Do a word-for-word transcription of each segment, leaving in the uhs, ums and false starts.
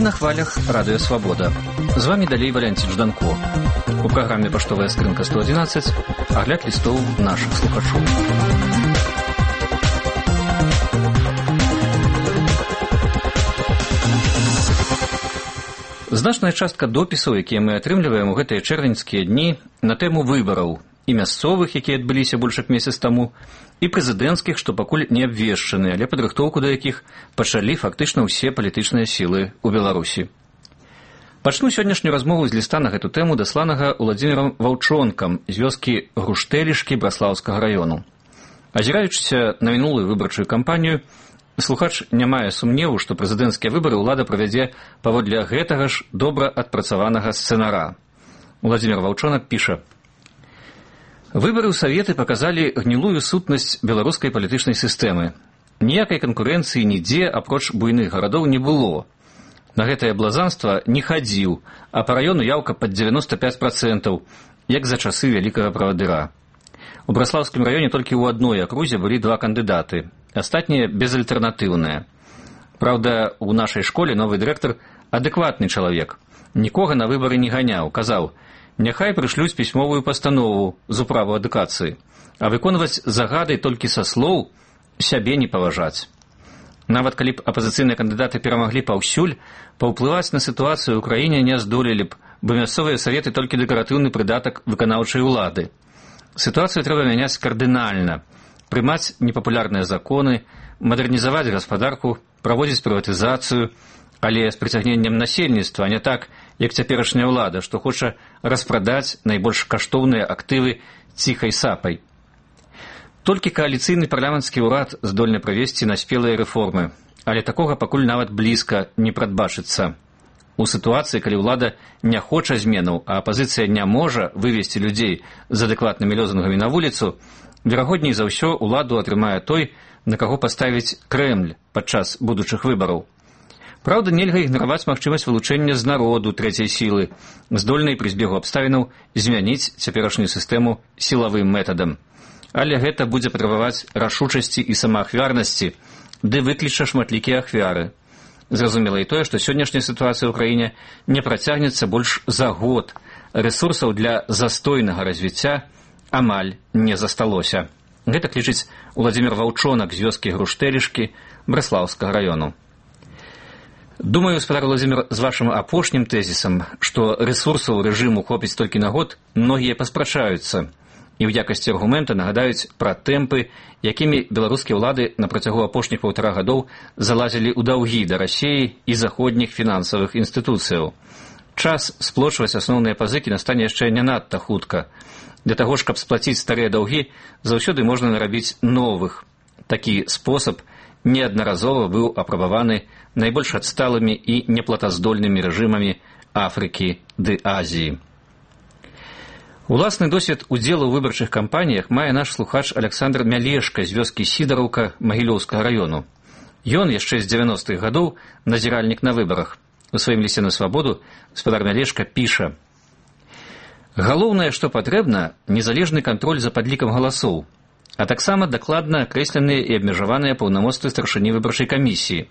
на хвалях Радыё Свабода. З вами далей Валянцін Жданко. У праграме «Паштовая скрынка сто адзінаццаць» агляд лістоў нашых слухачоў. Значная частка допісаў, якія мы атрымліваем у гэтыя чэрвеньскія дні на тэму выбараў, і мясцовых, якія адбыліся больш як месяц таму, і прэзідэнцкіх, што пакуль не абвешчаны, але падрыхтоўку да якіх пачалі фактычна ўсе палітычныя сілы ў Беларусі. Пачну сённяшнюю размову з ліста на гэту тэму, дасланага Уладзімірам Ваўчонкам з вёскі Груштэлішкі Браслаўскага раёну. Азіраючыся на мінулую выбарчую кампанію, слухач не мае сумневу, што прэзідэнцкія выбары ўлада правядзе паводле гэтага ж добра адпрацаванага сцэнара. Уладзімір Ваўчонак піша: «Выборы ў Саветы показалі гнілую сутнасць беларускай палітычнай сістэмы. Ніякай канкурэнцыі нідзе, апроч буйных гарадоў, не было. На гэтае блазанства не хадзіў, а па раёну яўка пад дзевяноста пяць працэнтаў, як за часы вялікага правадыра. У Браслаўскім раёне толькі ў адной акрузе былі два кандыдаты, астатнія безальтэрнатыўныя. Праўда, у нашай школе новы дырэктар адэкватны чалавек. Нікога на выбары не ганяў, казаў: няхай прышлюць пісьмовую пастанову з управу адукацыі, а выконваць загады толькі са слоў сябе не паважаць. Нават калі б апазіцыйныя кандыдаты перамаглі паўсюль, паўплываць на сітуацыю ў краіне не здолелі б, бо мясцовыя саветы толькі дэкаратыўны прыдатак выканаўчай улады. Сітуацыю трэба мяняць кардынальна, прымаць непапулярныя законы, мадэрнізаваць гаспадарку, праводзіць прыватызацыю, але з прыцягненнем насельніцтва, а не так, як цяперашняя ўлада, што хоча распрадаць найбольш каштоўныя актывы ціхай сапай. Толькі кааліцыйны парламенцкі ўрад здольны правесці наспелыя рэформы, але такога пакуль нават блізка не прадбачыцца. У сітуацыі, калі ўлада не хоча зменаў, а апазіцыя не можа вывесці людзей з адэкватнымі лозунгамі на вуліцу, верагодней за ўсё ўладу атрымае той, на каго паставіць Крэмль падчас будучых выбараў. Праўда, нельга ігнараваць магчымасць вылучэння з народу трэцяй сілы, здольнай пры збегу абставінаў змяніць цяперашнюю сістэму сілавым метадам. Але гэта будзе патрабаваць рашучасці і самаахвярнасці, ды выкліча шматлікія ахвяры. Зразумела і тое, што сённяшняя сітуацыя ў краіне не працягнецца больш за год. Рэсурсаў для застойнага развіцця амаль не засталося. Гэта лічыць Уладзімір Ваўчонак з вёскі Груштэлішкі Браслаўскага раёну. Думаю, гаспадар Уладзімір, з вашым апошнім тэзісам, што рэсурсаў рэжыму хопіць толькі на год, многія паспрачаюцца і ў якасці аргумента нагадаюць пра тэмпы, якімі беларускія ўлады на працягу апошніх паўтара гадоў залазілі ў даўгі да Расіі і заходніх фінансавых інстытуцыяў. Час сплочваць асноўныя пазыкі настане яшчэ не надта хутка. Для таго ж, каб сплаціць старыя даўгі, заўсёды можна нарабіць новых. Такі спосаб неаднаразова быў апрабаваны найбольш адсталымі і неплатаздольнымі рэжымамі Афрыкі ды Азіі. Уласны досвед удзелу ў выбарчых кампаніях мае наш слухач Аляксандр Мялешка з вёскі Сідараўка Магілёўскага раёну. Ён яшчэ з дзевяностых гадоў назіральнік на выбарах. У сваім лісце на Свабоду гаспадар Мялешка піша: «Галоўнае, што патрэбна, незалежны кантроль за падлікам галасоў, а таксама дакладна акрэсленыя і абмежаваныя паўнамоцтвы старшыні выбарчай камісіі.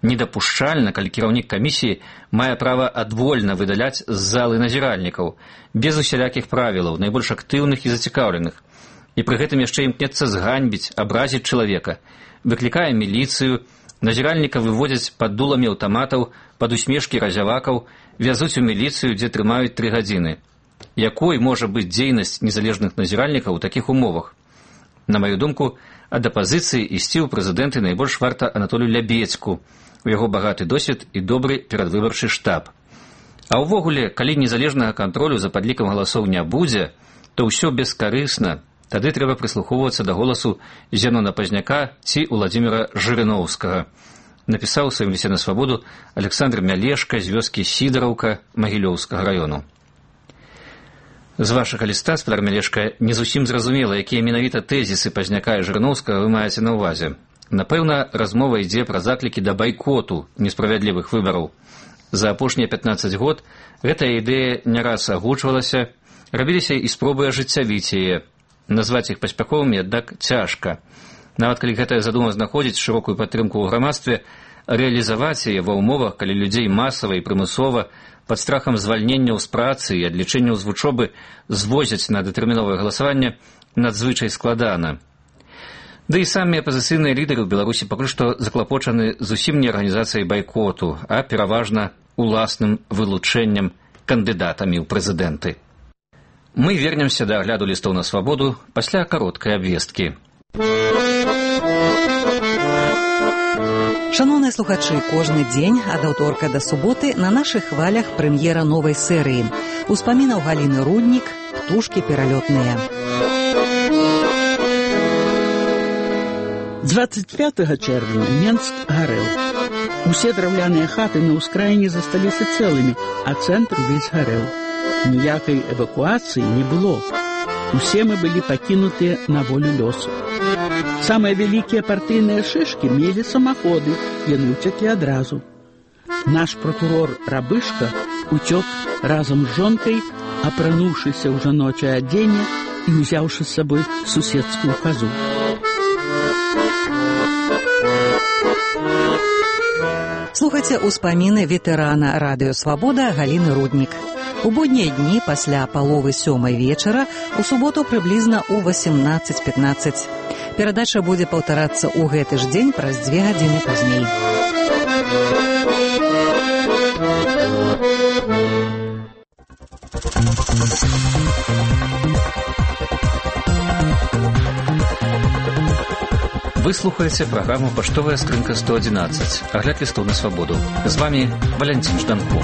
Недапушчальна, калі кіраўнік камісіі мае права адвольна выдаляць з залы назіральнікаў, без усялякіх правілаў, найбольш актыўных і зацікаўленых. І пры гэтым яшчэ імкнецца зганьбіць, абразіць чалавека, выклікае міліцыю, назіральніка выводзяць пад дуламі аўтаматаў, пад усмешкі разявакаў, вязуць у міліцыю, дзе трымаюць тры гадзіны. Якой можа быць дзейнасць незалежных назіральнікаў у такіх умовах? На маю думку, ад апазіцыі ісці ў прэзідэнты найбольш варта Анатолію Лябецку, у яго багаты досвед і добры перадвыбарчы штаб. А ўвогуле, калі незалежнага кантролю за падлікам галасоў не будзе, то ўсё бескарысна. Тады трэба прыслухоўвацца да голасу Зенона Пазняка ці Уладзіміра Жырыноўскага. Напісаў у сваім лісце на Свабоду Аляксандр Мялешка з вёскі Сідараўка Магілёўскага раёну. З вашага ліста, гаспадар Мялешка, не зусім зразумела, якія менавіта тэзісы Пазняка і Жырыноўскага вы маеце на ўвазе. Напэўна, размова ідзе пра заклікі да байкоту несправядлівых выбараў. За апошнія пятнаццаць год гэтая ідэя не раз агучвалася, рабіліся і спробы ажыццявіць яе. Назваць іх паспяховымі, аднак цяжка. Нават калі гэтая задума знаходзіць шырокую падтрымку ў грамадстве, рэалізаваць яе ва ўмовах, калі людзей масава і прымусова пад страхам звальненняў з працы і адлічэнняў з вучобы звозяць на датэрміновае галасаванне, надзвычай складана. Ды і самі апазіцыйныя лідары ў Беларусі пакуль што заклапочаны зусім не арганізацыяй байкоту, а пераважна уласным вылучэннем кандыдатамі ў прэзідэнты. Мы вернемся да агляду лістоў на свабоду пасля кароткай абвесткі. Шановныя слухачы, кожны дзень ад аўторка да суботы на нашых хвалях прэм'ера новай серыі. Успамінаў Галіны Руднік, «Птушкі пералётныя». двадцать пятого чэрвеня Менск гарэў. Усе драўляныя хаты на ўскраіне засталіся цэлымі, а цэнтр увесь гарэў. Ніякай эвакуацыі не было. Усе мы былі пакінутыя на волю лёсу. Самыя вялікія партыйныя шышкі мелі самаходы, яны ўцеклі адразу. Наш прокурор Рабышка уцёк разам з жонкай, апрануўшыся ў жаночае адзенне і ўзяўшы з сабой суседскую хазу. Слухайце ўспаміны ветэрана радыё «Свабода» Галіны Руднік. У буднія дні пасля паловы сёмай вечара, у суботу прыблізна ў восемнадцаць пятнаццаць. Перадача будзе паўтарацца ў гэты ж дзень праз дзве гадзіны пазней. Вы слухаеце праграму «Паштовая скрынка сто адзінаццаць». Агляд лістоў на свабоду. З вами Валянцін Жданко.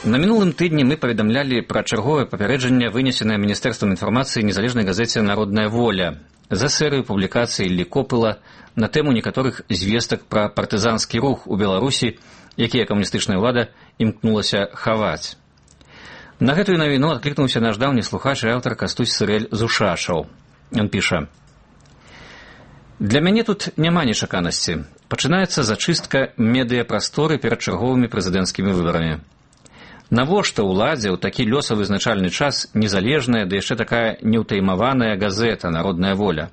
На мінулым тыдні мы паведамлялі пра чарговае папярэджанне, вынесенае Міністэрствам інфармацыі незалежнай газеце «Народная воля» за серыю публікацый Іллі Копыла на тэму некаторых звестак пра партызанскі рух у Беларусі, якія камуністычная ўлада імкнулася хаваць. На гэтую навіну адклікнуўся наш даўні слухач і аўтар Кастусь Сырэль з Ушашаў. Ён піша: «Для мяне тут няма нечаканасці. Пачынаецца зачыстка медыяпрасторы перад чарговымі прэзідэнцкімі выбарамі. Навошта ўладзе ў такі лёсавызначальны час незалежная, да яшчэ такая неўтаймаваная газета «Народная воля».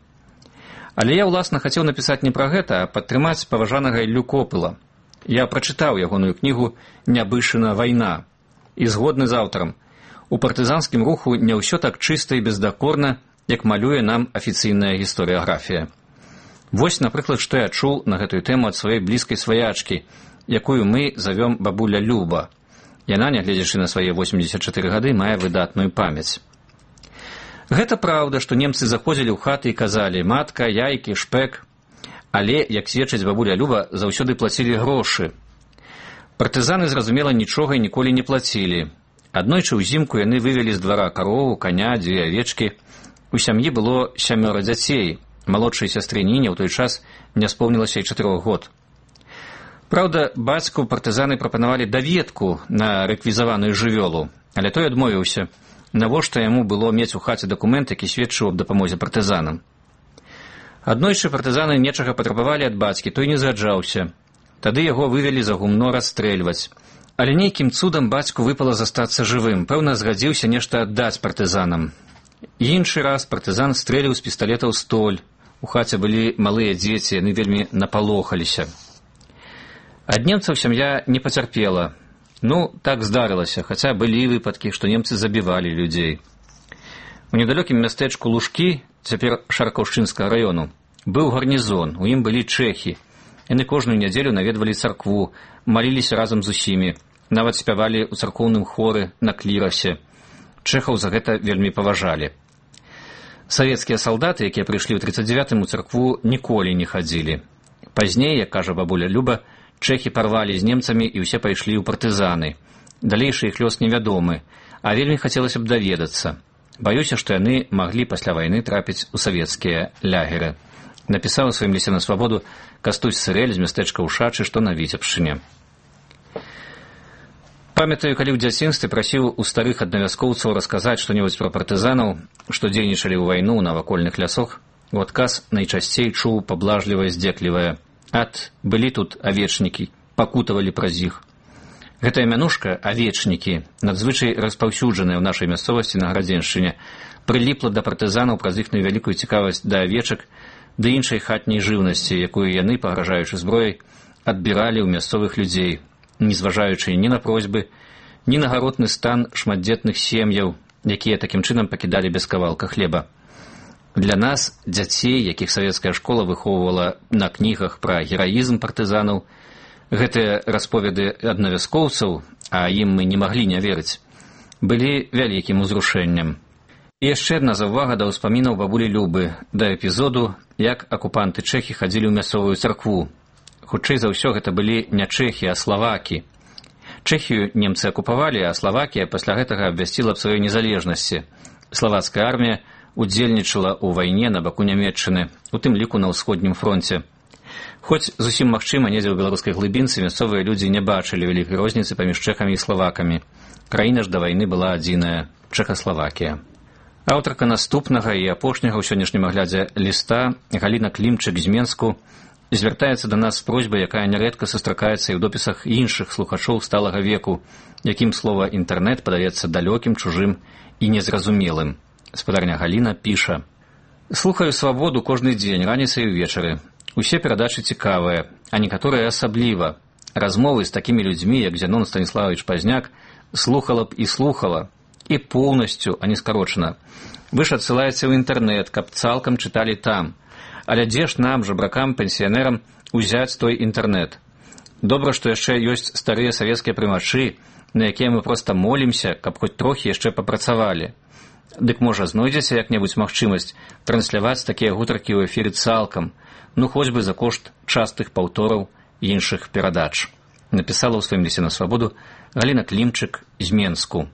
Але я, уласна, хацеў напісаць не пра гэта, а падтрымаць паважанага Іллю Копыла. Я прачытаў ягоную кнігу «Нябышына вайна» і згодны з аўтарам. У партызанскім руху не ўсё так чыста і бездакорна, як малюе нам афіцыйная гісторыяграфія. Вось, напрыклад, што я чуў на гэтую тэму ад сваёй блізкай сваячкі, якую мы завём бабуля Люба. Яна, нягледзячы на свае восемьдесят чатыры гады, мае выдатную памяць. Гэта праўда, што немцы заходзілі ў хаты і казалі: матка, яйкі, шпэк. Але, як сведчыць бабуля Люба, заўсёды плацілі грошы. Партызаны, зразумела, нічога і ніколі не плацілі. Аднойчы ўзімку яны вывелі з двара карову, каня, дзве авечкі. У сям'і было сямёра дзяцей. Малодшай сястры Ніне ў той час не споўнілася і чатырох год. Праўда, бацьку партызаны прапанавалі даведку на рэквізаваную жывёлу, але той адмовіўся. Навошта яму было мець у хаце дакумент, які сведчыў аб дапамозе партызанам. Аднойчы партызаны нечага патрабавалі ад бацькі, той не згаджаўся. Тады яго вывелі за гумно расстрэльваць. Але нейкім цудам бацьку выпала застацца жывым. Пэўна, згадзіўся нешта аддаць партызанам. Іншы раз партызан стрэліў з пісталета ў столь. У хаце былі малыя дзеці, яны вельмі напалохаліся. Ад немцаў сям'я не пацярпела. Ну, так здарылася, хаця былі выпадкі, што немцы забівалі людзей. У недалёкім мястэчку Лужкі, цяпер Шаркаўшчынскага раёну, быў гарнізон, у ім былі чэхі. Яны кожную нядзелю наведвалі царкву, маліліся разам з усімі, нават спявалі ў царкоўным хоры на клірасе. Чэхаў за гэта вельмі паважалі. Савецкія салдаты, якія прыйшлі ў тридцать девятым у царкву, ніколі не хадзілі. Пазней, як кажа бабуля Люба, чэхі парвалі з немцамі і ўсе пайшлі ў партызаны. Далейшы іх лёс невядомы, а вельмі хацелася б даведацца. Баюся, што яны маглі пасля вайны трапіць у савецкія лягеры. Напісаў у сваім лісце на свабоду Кастусь Сырэль з мястэчка Ушачы, што на Віцебшчыне. Памятаю, калі ў дзяцінстве прасіў у старых аднавяскоўцаў расказаць што-небудзь пра партызанаў, што дзейнічалі ў вайну на вакольных лясах, у адказ найчасцей чуў паблажлівае здзеклівае: «Ат, былі тут авечнікі, пакутавалі праз іх». Гэтая мянушка «авечнікі», надзвычай распаўсюджаная ў нашай мясцовасці на Градзеншчыне, прыліпла да партызанаў праз іхную вялікую цікавасць да авечак, ды іншай хатняй жыўнасці, якую яны, пагражаючы зброяй, адбіралі ў мясцовых людзей, не зважаючы ні на просьбы, ні на гаротны стан шматдзетных сем'яў, якія такім чынам пакідалі без кавалка хлеба. Для нас, дзяцей, якіх савецкая школа выхоўвала на кнігах пра гераізм партызанаў, гэтыя расповеды аднавяскоўцаў, а ім мы не маглі не верыць, былі вялікім узрушэннем. І яшчэ адна заўвага да ўспамінаў бабулі Любы, да эпізоду, як акупанты чэхі хадзілі ў мясцовую царкву. Хутчэй за ўсё гэта былі не чэхі, а славакі. Чэхію немцы акупавалі, а Славакія пасля гэтага абвясціла аб сваёй незалежнасці. Славацкая армія удзельнічала ў вайне на баку Нямецчыны, у тым ліку на ўсходнім фронце. Хоць зусім магчыма, недзе ў беларускай глыбінцы мясцовыя людзі не бачылі вялікай розніцы паміж чэхамі і славакамі. Краіна ж да вайны была адзіная – Чэхаславакія. Аўтарка наступнага і апошняга ў сённяшнім аглядзе ліста Галіна Клімчык з Менску звяртаецца да нас з просьбай, якая нярэдка сустракаецца і ў допісах іншых слухачоў сталага веку, якім слова «інтэрнэт» падаецца далёкім, чужым і незразумелым. Спадарня Галіна піша: «Слухаю «Свабоду» кожны дзень, раніцай і ўвечары. Усе перадачы цікавыя, а некаторыя асабліва. Размовы з такімі людзьмі, як Зянон Станіславович Пазняк, слухала б і слухала, і поўнасцю, а не скарочана. Вы ж адсылаеце ў інтэрнэт, каб цалкам чыталі там. Але дзе ж нам, жабракам, пенсіянерам, узяць той інтэрнэт? Добра, што яшчэ ёсць старыя савецкія прымачы, на якія мы проста молімся, каб хоць трохі яшчэ папрацавалі. Дык можа знойдзеце як-небудзь магчымасць трансляваць такія гутаркі ў эфіры цалкам, ну хоць бы за кошт частых паўтораў іншых перадач». Напісала ў сваім лісце на «Свабоду» Галіна Клімчык з Менску.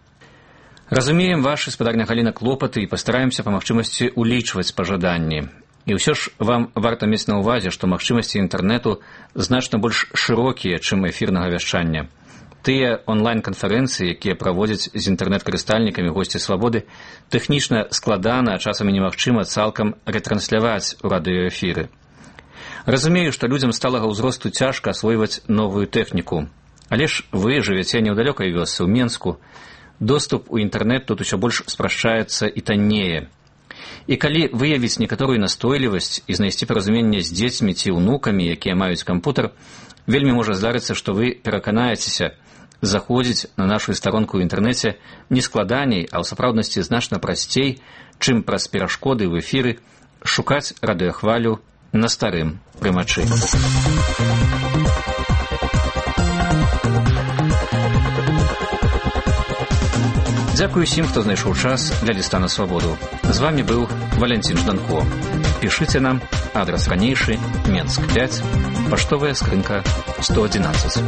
Разумеем вашы, спадарня Галіна, клопаты і пастараемся па магчымасці улічваць пажаданні. І ўсё ж вам варта мець на ўвазе, што магчымасці інтэрнэту значна больш шырокія, чым эфірнага вяшчання. Тыя онлайн-канферэнцыі, якія праводзяць з інтэрнэт-карыстальнікамі госці «Свабоды», тэхнічна складана, а часамі немагчыма цалкам рэтрансляваць у радыёэфіры. Разумею, што людзям сталага ўзросту цяжка асвойваць новую тэхніку. Але ж вы жывяце не ў далёкай вёсцы, ў Менску. Доступ у інтэрнэт тут усё больш спрашчаецца і таннее. І калі выявіць некаторую настойлівасць і знайсці паразуменне з дзецьмі ці ўнукамі, якія маюць кампутар, вельмі можа здарыцца, што вы пераканаецеся, заходзіць на нашу старонку ў інтэрнэце не складаней, а ў сапраўднасці значна прасцей, чым праз перашкоды ў эфіры шукаць радыёхвалю на старым прымачы. Дзякую усім, хто знайшоў час для ліста на «Свабоду». З вамі быў Валянцін Жданко. Пішыце нам, адрас ранейшы, Менск пяць, паштовая скрынка сто адзінаццаць.